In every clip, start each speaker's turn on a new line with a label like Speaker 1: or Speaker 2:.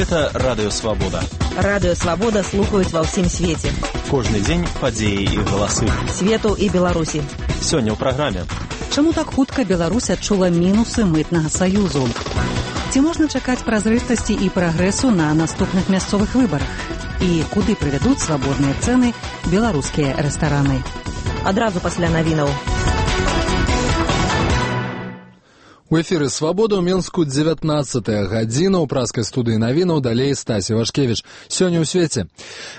Speaker 1: Гэта Радыё Свабода.
Speaker 2: Радыё Свабода слухаюць ва ўсім свеце.
Speaker 1: Кожны дзень падзеі і галасы.
Speaker 2: Свету і Беларусі.
Speaker 1: Сёння ў праграме.
Speaker 3: Чаму так хутка Беларусь адчула мінусы мытнага саюзу? Ці можна чакаць празрыстасці і прагрэсу на наступных мясцовых выбарах? І куды прывядуць свабодныя цэны беларускія рэстараны?
Speaker 2: Адразу пасля навінаў.
Speaker 4: У эфіры «Свабода» ў Менску 19-я гадзіна. У праскай студыі навінаў далей Стасі Вашкевіч. Сёння ў свеце.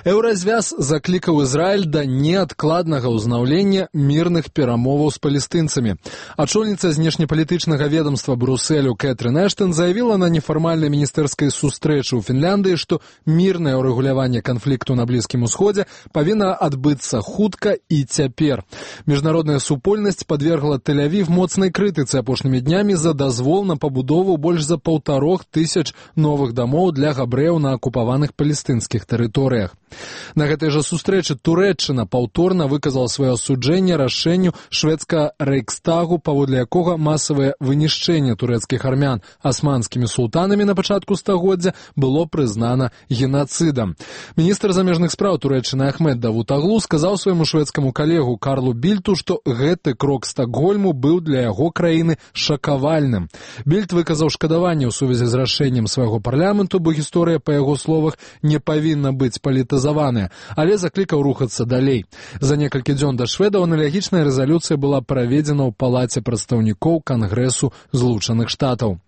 Speaker 4: Еўразвяз заклікаў Ізраіль да неадкладнага ўзнаўлення мірных перамоваў з палестынцамі. Ачольніца знешнепалітычнага ведамства Брусэлю Кэтрын Эштон заявіла на нефармальнай міністэрскай сустрэчы ў Фінляндыі, што мірнае ўрэгуляванне канфлікту на Блізкім Усходзе павінна адбыцца хутка і цяпер. Міжнародная супольнасць падвергла Тель-Авів моцнай крытыцы апошнімі днямі за дазвол на пабудову больш за 1500 новых дамоў для габрэяў на акупаваных палестынскіх тэрыторыях. На гэтай жа сустрэчы Турэччына паўторна выказала сваё асуджэнне рашэнню шведскага рэйхстагу, паводле якога масавае вынішчэнне турэцкіх армян асманскімі султанамі на пачатку стагоддзя было прызнана генацыдам. Міністр замежных спраў Турэччыны Ахмед Давутаглу сказаў свайму шведскаму калегу Карлу Більту, што гэты крок Стакгольму быў для яго краіны шакавальным. Більт выказаў шкадаванне ў сувязі з рашэннем свайго парламенту, бо гісторыя, па яго словах, не павінна быць палітызаваная, але заклікаў рухацца далей. За некалькі дзён да шведаў аналогічная рэзалюцыя была праведзена ў палаце прадстаўнікоў Кангрэсу Злучаных Штатаў.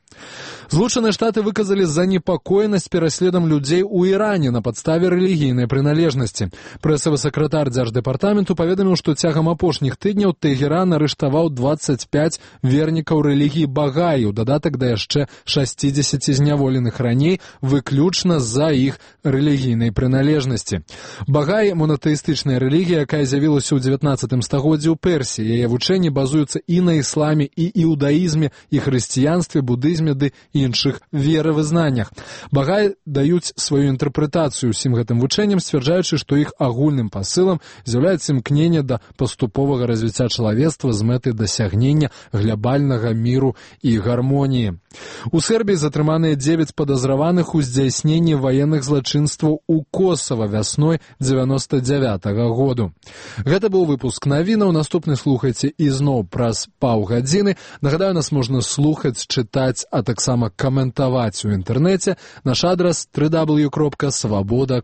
Speaker 4: Злучаныя Штаты выказалі занепакоенасць пераследам людзей у Іране на падставе рэлігійнай прыналежнасці. Прэсавы сакратар дзярждэпартаменту паведаміў, што цягам апошніх тыдняў Тэгеран арыштаваў 25 вернікаў рэлігіі Багаі, у дадатак да яшчэ 60 зняволеных раней, выключна з-за іх рэлігійнай прыналежнасці. Багаі – монатэістычная рэлігія, якая з'явілася ў 19 стагоддзі ў Персіі. Яе вучэнні базуюцца і на ісламе, і іудаізме, і хрысціянстве, будызме ды іншых веравызнаннях. Багаі даюць сваю інтэрпрэтацыю ўсім гэтым вучэнням, сцвярджаючы, што іх агульным пасылам з'яўляецца імкненне да паступовага развіцця чалавецтва з мэтай дасягнення глябальнага міру і гармоніі. У Сербіі затрыманыя 9 падазраваных у здзяйсненні ваенных злачынстваў у Косава вясной 99-го году. Гэта быў выпуск навінаў. Наступны слухайце ізноў праз паўгадзіны. Нагадаю, нас можна слухаць, чытаць, а таксама каментаваць у інтэрнэце. Наш адрас www.swaboda.ru.